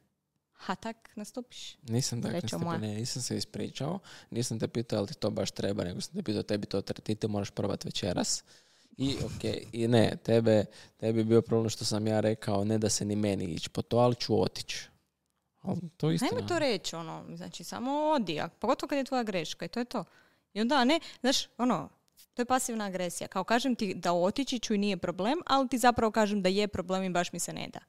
Ha, tak nastupiš? Nisam tak nastupio, ne, nisam se ispričao. Nisam te pitao ali ti to baš treba, nego sam te pitao tebi to ti te moraš probati večeras. I ok, i ne, tebe, tebi je bio problem što sam ja rekao ne da se ni meni ići po to, ali ću otići. To je istina. Ajme to reći, ono, znači samo odi, a pogotovo kad je tvoja greška i to je to. I onda ne, znaš, ono, to je pasivna agresija. Kao kažem ti da otići ću i nije problem, ali ti zapravo kažem da je problem i baš mi se ne da.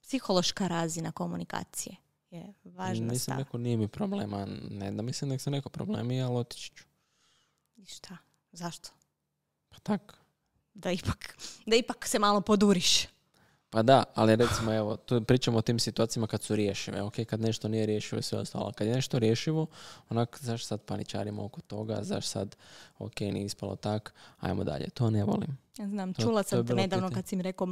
Psihološka razina komunikacije je važna stav. Nisam rekao nije mi problema, ne da mislim nek se neko problemi, ali otići ću. I šta? Zašto? Pa tak. Da ipak, da ipak se malo poduriš. Pa da, ali recimo evo, tu pričamo o tim situacijama kad su rješive, ok, kad nešto nije rješivo i sve ostalo. Kad je nešto rješivo, onak, zašto sad paničarimo oko toga, zašto sad, ok, nije ispalo tak, ajmo dalje. To ne volim. Ja znam, čula to, sam te nedavno pitanje. Kad si mi rekao,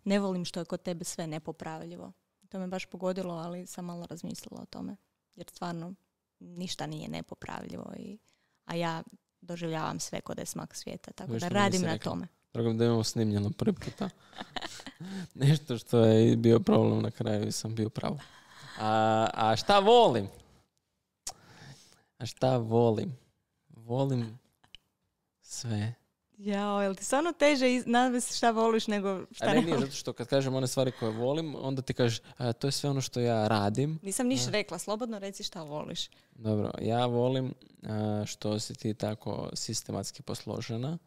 ne volim što je kod tebe sve nepopravljivo. To me baš pogodilo, ali sam malo razmislila o tome. Jer stvarno ništa nije nepopravljivo, i, a ja doživljavam sve kod je smak svijeta, tako Viš da radim na rekla. Tome. Dragom da imamo snimljeno prvi puta. Nešto što je bio problem na kraju i sam bio pravo. A, a šta volim? A šta volim? Volim sve. Jao, jel ti stvarno teže navesti šta voliš nego šta ne, ne nije, voliš? zato što kad kažem one stvari koje volim, onda ti kažeš, a, to je sve ono što ja radim. Nisam niš rekla, slobodno reci šta voliš. Dobro, ja volim a, što si ti tako sistematski posložena,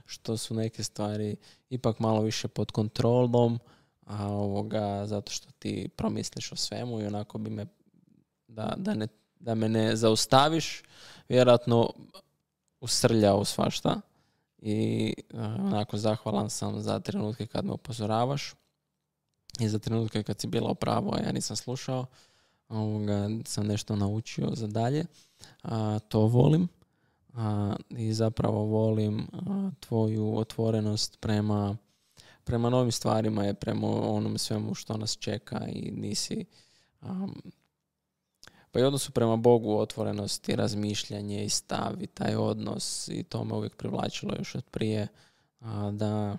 što su neke stvari ipak malo više pod kontrolom, a ovoga, zato što ti promisliš o svemu i onako bi me, da, da, ne, da me ne zaustaviš, vjerojatno usrljao u svašta. I onako zahvalan sam za trenutke kad me upozoravaš i za trenutke kad si bila u pravu, a ja nisam slušao, ovoga, sam nešto naučio za dalje. A, to volim. A, i zapravo volim a, tvoju otvorenost prema, prema novim stvarima i prema onom svemu što nas čeka i nisi um, pa i odnosu prema Bogu, otvorenost i razmišljanje i stav i taj odnos i to me uvijek privlačilo još od prije, a, da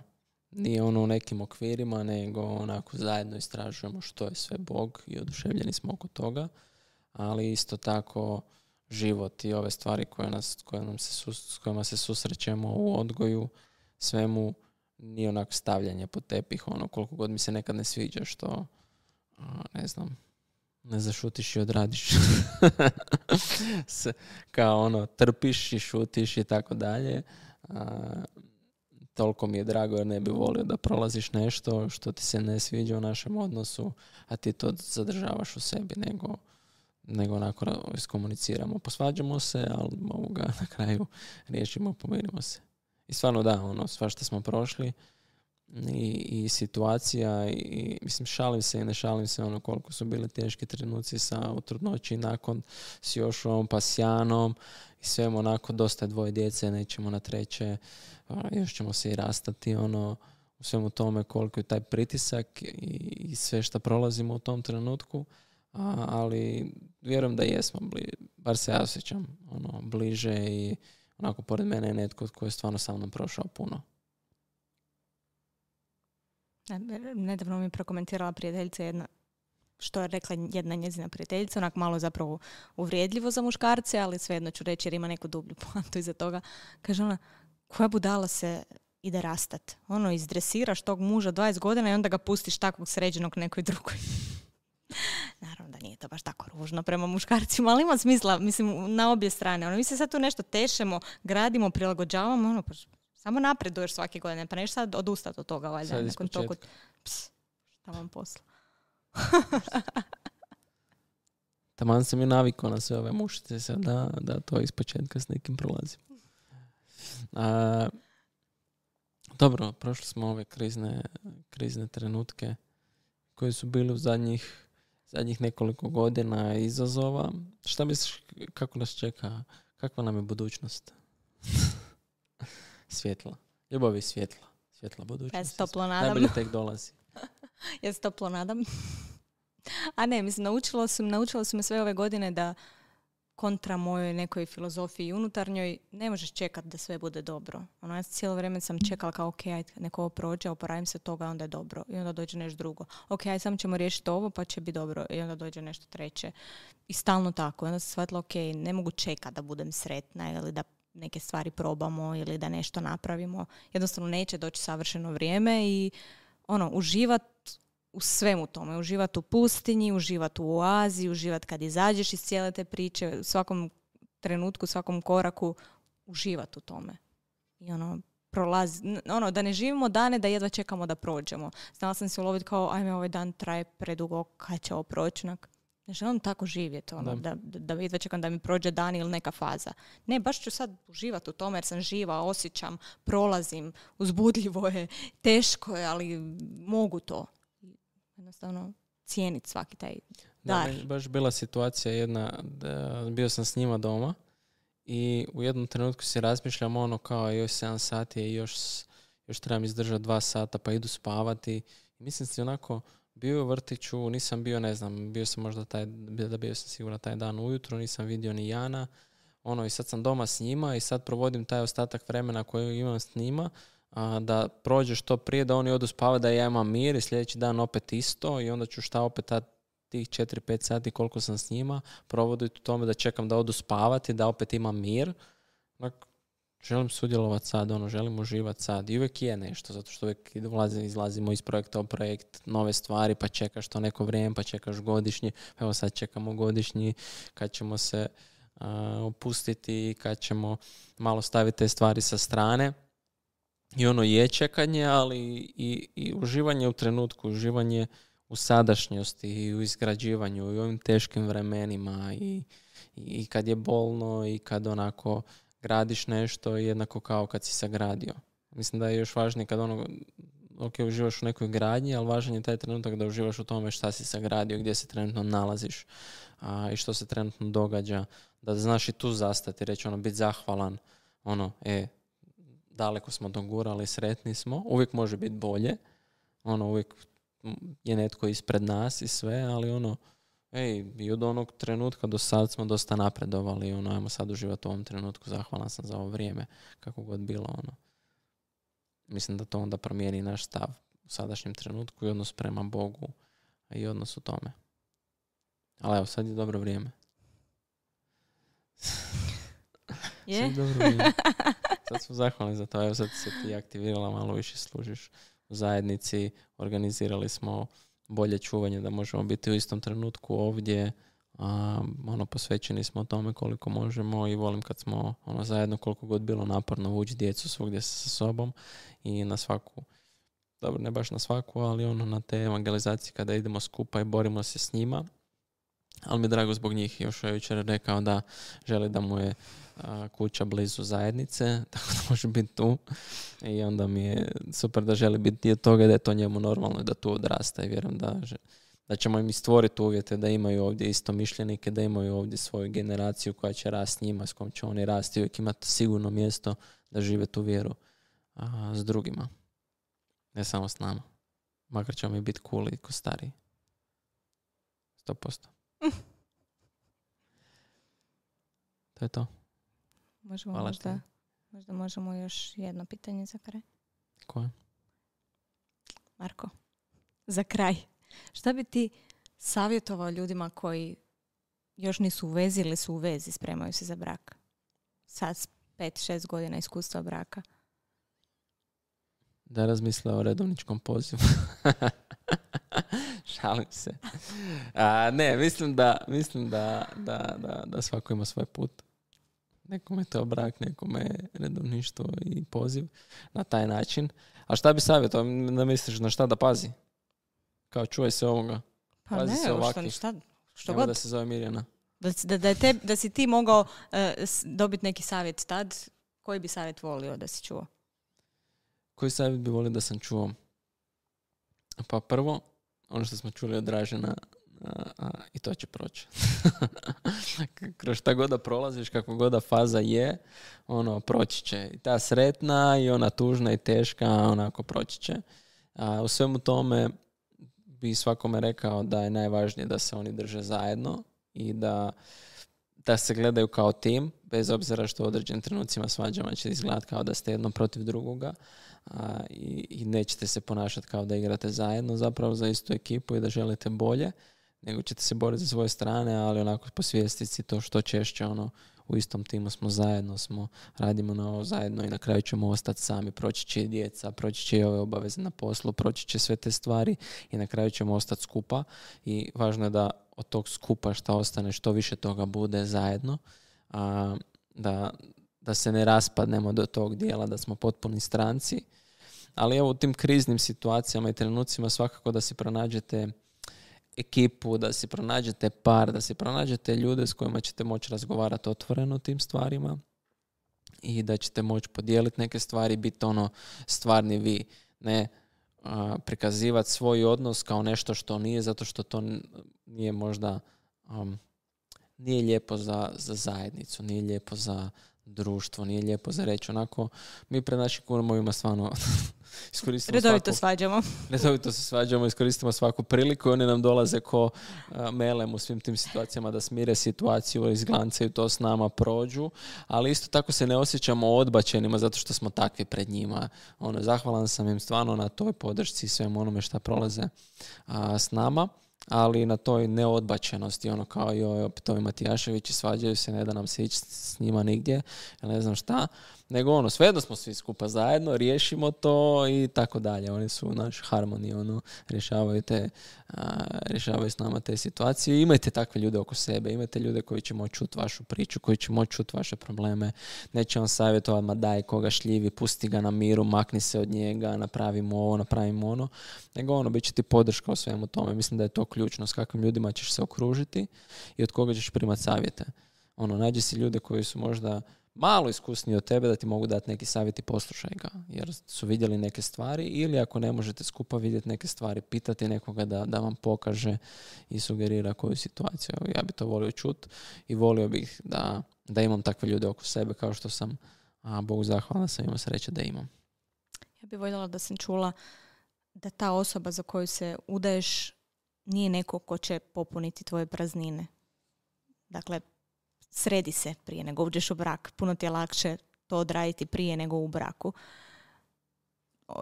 nije ono u nekim okvirima, nego onako zajedno istražujemo što je sve Bog i oduševljeni smo oko toga, ali isto tako život i ove stvari koje nas, koje nam se sus, s kojima se susrećemo u odgoju, svemu nije onako stavljanje pod tepih, ono koliko god mi se nekad ne sviđa što, a, ne znam, ne zašutiš i odradiš. Kao ono, trpiš i šutiš i tako dalje. Toliko mi je drago jer ne bi volio da prolaziš nešto što ti se ne sviđa u našem odnosu, a ti to zadržavaš u sebi, nego, nego onako iskomuniciramo. Posvađamo se, ali ovoga na kraju riješimo, pomirimo se. I stvarno da, ono, svašta smo prošli, i, i situacija i mislim šalim se i ne šalim se ono koliko su bili teški trenuci sa u trudnoći nakon s Jošom pa s Janom i svemu onako dosta dvoje djece, nećemo na treće, a, još ćemo se i rastati ono u svemu tome koliko je taj pritisak i, i sve što prolazimo u tom trenutku, a, ali vjerujem da jesmo, bli, bar se ja osjećam ono, bliže i onako pored mene je netko koji je stvarno sa mnom prošao puno. Nedavno mi je prokomentirala prijateljica jedna, što je rekla jedna njezina prijateljica, onako malo zapravo uvrijedljivo za muškarce, ali svejedno ću reći jer ima neku dublju poantu iza toga. Kaže ona, koja budala se ide rastat. Ono, izdresiraš tog muža dvadeset godina i onda ga pustiš takvog sređenog nekoj drugoj. Naravno da nije to baš tako ružno prema muškarcima, ali ima smisla, mislim, na obje strane. Ono, mi se sad tu nešto tešemo, gradimo, prilagođavamo, ono, pa samo napreduješ svake godine, pa neš sad odustati od toga, valjda. Sad iz početka. Ps, šta vam posla? Taman sam i navikao na sve ove mušice sad da, da to iz početka s nekim prolazim. A, dobro, prošli smo ove krizne, krizne trenutke koji su bili u zadnjih, zadnjih nekoliko godina izazova. Šta misliš, kako nas čeka, kakva nam je budućnost? Svjetla. Ljubav je svjetla. Svjetla budućnost. Ja se toplo nadam. Najbolje tek dolazi. Ja se toplo nadam. A ne, mislim, naučila su, naučila su me sve ove godine da kontra mojoj nekoj filozofiji unutarnjoj ne možeš čekati da sve bude dobro. Ono, ja cijelo vrijeme sam čekala kao, ok, ajde, neko ovo prođe, oporavim se toga, onda je dobro. I onda dođe nešto drugo. Ok, ajde, samo ćemo riješiti ovo, pa će biti dobro. I onda dođe nešto treće. I stalno tako. I onda sam shvatila, ok, ne mogu čekati da budem sretna ili da neke stvari probamo ili da nešto napravimo. Jednostavno neće doći savršeno vrijeme i ono, uživat u svemu tome. Uživat u pustinji, uživat u oazi, uživat kad izađeš iz cijele te priče, u svakom trenutku, u svakom koraku, uživat u tome. I ono, prolazi, ono, da ne živimo dane da jedva čekamo da prođemo. Znala sam se uloviti kao, ajme, ovaj dan traje predugo, kad će ovo proći? Ne želim tako živjeti, ono, da, da, da jedva čekam da mi prođe dan ili neka faza. Ne, baš ću sad uživati u tome jer sam živa, osjećam, prolazim, uzbudljivo je, teško je, ali mogu to. Jednostavno cijeniti svaki taj dar. Da, baš bila situacija jedna, da bio sam s njima doma i u jednom trenutku si razmišljam ono kao još sedam sati i još, još trebam izdržati dva sata pa idu spavati. I mislim si onako bio u vrtiću, nisam bio, ne znam, bio sam možda taj, da bio sam sigurno taj dan ujutro, nisam vidio ni Jana. Ono, i sad sam doma s njima i sad provodim taj ostatak vremena koji imam s njima, a, da prođe što prije, da oni odu spavati, da ja imam mir i sljedeći dan opet isto i onda ću šta opet ta, tih četiri pet sati koliko sam s njima provoditi u tome da čekam da odu spavati, da opet imam mir. Dakle, želim sudjelovati sad, ono, želim uživati sad. I uvijek je nešto, zato što uvijek izlazimo iz projekta u projekt, nove stvari, pa čekaš to neko vrijeme, pa čekaš godišnji. Evo sad čekamo godišnji, kad ćemo se uh, opustiti, kad ćemo malo staviti te stvari sa strane. I ono je čekanje, ali i, i uživanje u trenutku, uživanje u sadašnjosti i u izgrađivanju i u ovim teškim vremenima i, i kad je bolno i kad onako gradiš nešto jednako kao kad si sagradio. Mislim da je još važnije kad ono, ok, uživaš u nekoj gradnji, ali važan je taj trenutak da uživaš u tome šta si sagradio, gdje se trenutno nalaziš a, i što se trenutno događa. Da znaš i tu zastati, reći ono, biti zahvalan, ono, e, daleko smo dogurali, sretni smo, uvijek može biti bolje, ono, uvijek je netko ispred nas i sve, ali ono, ej, i od onog trenutka do sad smo dosta napredovali, ono, ajmo sad uživati u ovom trenutku, zahvalan sam za ovo vrijeme, kako god bilo, ono. Mislim da to onda promijeni naš stav u sadašnjem trenutku i odnos prema Bogu i odnos u tome. Ali evo, sad je dobro vrijeme. Je? Sad je dobro vrijeme. Sad smo zahvalni za to, evo sad se ti aktivirala, malo više služiš u zajednici, organizirali smo bolje čuvanje da možemo biti u istom trenutku ovdje, a, ono, posvećeni smo o tome koliko možemo i volim kad smo ono, zajedno, koliko god bilo naporno vući djecu svugdje sa sobom i na svaku, dobro, ne baš na svaku, ali ono na te evangelizacije kada idemo skupa i borimo se s njima, Ali mi je drago zbog njih. Još je jučer rekao da želi da mu je a, kuća blizu zajednice, tako da može biti tu. I onda mi je super da želi biti dio toga, da je to njemu normalno i da tu odrasta. I vjerujem da, da ćemo im stvoriti uvjete da imaju ovdje istomišljenike, da imaju ovdje svoju generaciju koja će rasti s njima, s kojom će oni rasti i uvijek imati sigurno mjesto da žive tu vjeru a, s drugima. Ne samo s nama. Makar ćemo mi biti cool i ko stariji. Sto posto. To je to. Možemo možda, možda možemo još jedno pitanje za kraj. Koje? Marko, za kraj. Šta bi ti savjetovao ljudima koji još nisu u vezi ili su u vezi, spremaju se za brak? Sad s pet, šest godina iskustva braka. Da razmisle o redovničkom pozivu. Šalim se. A, ne, mislim da mislim da, da, da, da svako ima svoj put. Nekome je to brak, nekome je redovništvo i poziv na taj način. A šta bi savjetovao? Da misliš na šta da pazi? Kao čuvaj se ovoga. Pa pazi ne, se ovakvih. što, šta, što Evo god. da se zove Mirjana. Da, da, da, te, da si ti mogao uh, dobiti neki savjet tad, koji bi savjet volio da si čuo? Koji savjet bi volio da sam čuo? Pa prvo, ono što smo čuli od Dražena, a, a, i to će proći. Kroz šta god da prolaziš, kako god da faza je, ono, proći će. I ta sretna i ona tužna i teška, onako proći će. A, u svemu tome bi svakome rekao da je najvažnije da se oni drže zajedno i da, da se gledaju kao tim, bez obzira što u određenim trenucima svađama će izgledati kao da ste jedno protiv drugoga. A, i, i nećete se ponašati kao da igrate zajedno zapravo za istu ekipu i da želite bolje, nego ćete se boriti za svoje strane, ali onako posvijestiti to što češće ono, u istom timu smo zajedno, smo, radimo na ovo zajedno i na kraju ćemo ostati sami, proći će i djeca, proći će i ove obaveze na poslu, proći će sve te stvari i na kraju ćemo ostati skupa i važno je da od tog skupa šta ostane, što više toga bude zajedno, a, da da se ne raspadnemo do tog dijela, da smo potpuni stranci. Ali evo u tim kriznim situacijama i trenucima svakako da si pronađete ekipu, da si pronađete par, da si pronađete ljude s kojima ćete moći razgovarati otvoreno o tim stvarima i da ćete moći podijeliti neke stvari, biti ono stvarni vi, ne a, prikazivati svoj odnos kao nešto što nije, zato što to nije možda um, nije lijepo za, za zajednicu, nije lijepo za društvo, nije lijepo za reći. Onako, mi pred našim kumovima stvarno iskoristimo redovito svaku, svađamo. Redovito se svađamo, iskoristimo svaku priliku i oni nam dolaze ko uh, melem u svim tim situacijama da smire situaciju, izglancaju to s nama, prođu, ali isto tako se ne osjećamo odbačenima zato što smo takvi pred njima. Ono, zahvalan sam im stvarno na toj podršci i svemu onome šta prolaze uh, s nama, ali na toj neodbačenosti, ono kao joj, opet ovi Matijaševići svađaju se, ne da nam se ići s njima nigdje, ne znam šta, nego ono, svejedno smo svi skupa zajedno, riješimo to i tako dalje. Oni su naš harmonij, ono, rješavaju te, a, rješavaju s nama te situacije. Imajte takve ljude oko sebe, imajte ljude koji će moći čuti vašu priču, koji će moći čuti vaše probleme, neće vam savjetovati, ma daj koga šljivi, pusti ga na miru, makni se od njega, napravimo ovo, napravimo ono, nego ono, bit će ti podrška o svemu tome. Mislim da je to ključno, s kakvim ljudima ćeš se okružiti i od koga ćeš primati savjete. Ono, nađi si ljude koji su možda malo iskusniji od tebe da ti mogu dati neki savjet i poslušaj ga, jer su vidjeli neke stvari, ili ako ne možete skupa vidjeti neke stvari, pitati nekoga da, da vam pokaže i sugerira koju situaciju. Ja bi to volio čuti i volio bih da, da imam takve ljude oko sebe, kao što sam, a Bogu zahvalna sam imao sreće da imam. Ja bih voljela da sam čula da ta osoba za koju se udaješ nije neko ko će popuniti tvoje praznine. Dakle, sredi se prije nego uđeš u brak. Puno ti je lakše to odraditi prije nego u braku.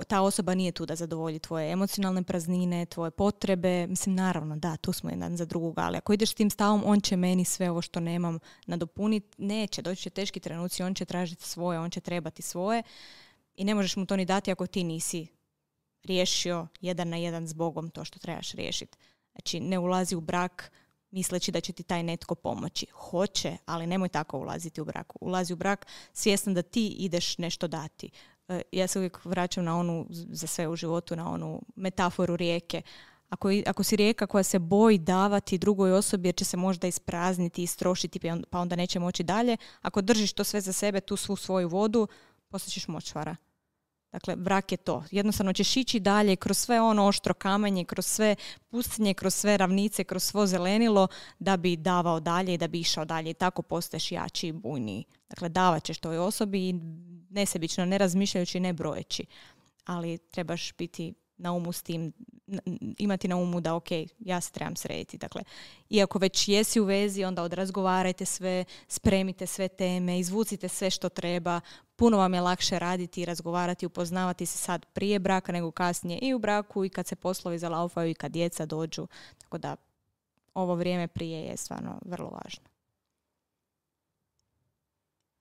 Ta osoba nije tu da zadovolji tvoje emocionalne praznine, tvoje potrebe. Mislim, naravno, da, tu smo jedan za drugoga, ali ako ideš s tim stavom, on će meni sve ovo što nemam nadopuniti. Neće, doći će teški trenuci, on će tražiti svoje, on će trebati svoje i ne možeš mu to ni dati ako ti nisi riješio jedan na jedan s Bogom to što trebaš riješiti. Znači, ne ulazi u brak misleći da će ti taj netko pomoći. Hoće, ali nemoj tako ulaziti u brak. Ulazi u brak svjestan da ti ideš nešto dati. Ja se uvijek vraćam na onu, za sve u životu, na onu metaforu rijeke. Ako, ako si rijeka koja se boji davati drugoj osobi jer će se možda isprazniti, istrošiti pa onda neće moći dalje, ako držiš to sve za sebe, tu svu svoju vodu, poslije ćeš močvara. Dakle, brak je to. Jednostavno ćeš ići dalje kroz sve ono oštro kamenje, kroz sve pustinje, kroz sve ravnice, kroz svo zelenilo da bi davao dalje i da bi išao dalje. I tako postaješ jači i bujniji. Dakle, davat ćeš toj osobi nesebično, ne razmišljajući, ne brojeći. Ali trebaš biti na umu s tim, imati na umu da ok, ja se trebam srediti. Dakle, iako već jesi u vezi, onda odrazgovarajte sve, spremite sve teme, izvucite sve što treba. Puno vam je lakše raditi i razgovarati, upoznavati se sad prije braka nego kasnije i u braku i kad se poslovi zalaufaju i kad djeca dođu. Tako da ovo vrijeme prije je stvarno vrlo važno.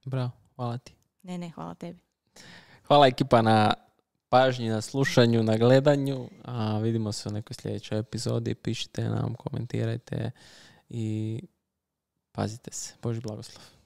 Bravo, hvala ti. Ne, ne, hvala tebi. Hvala ekipa na pažnji, na slušanju, na gledanju. A vidimo se u nekoj sljedećoj epizodi. Pišite nam, komentirajte i pazite se. Božji blagoslov.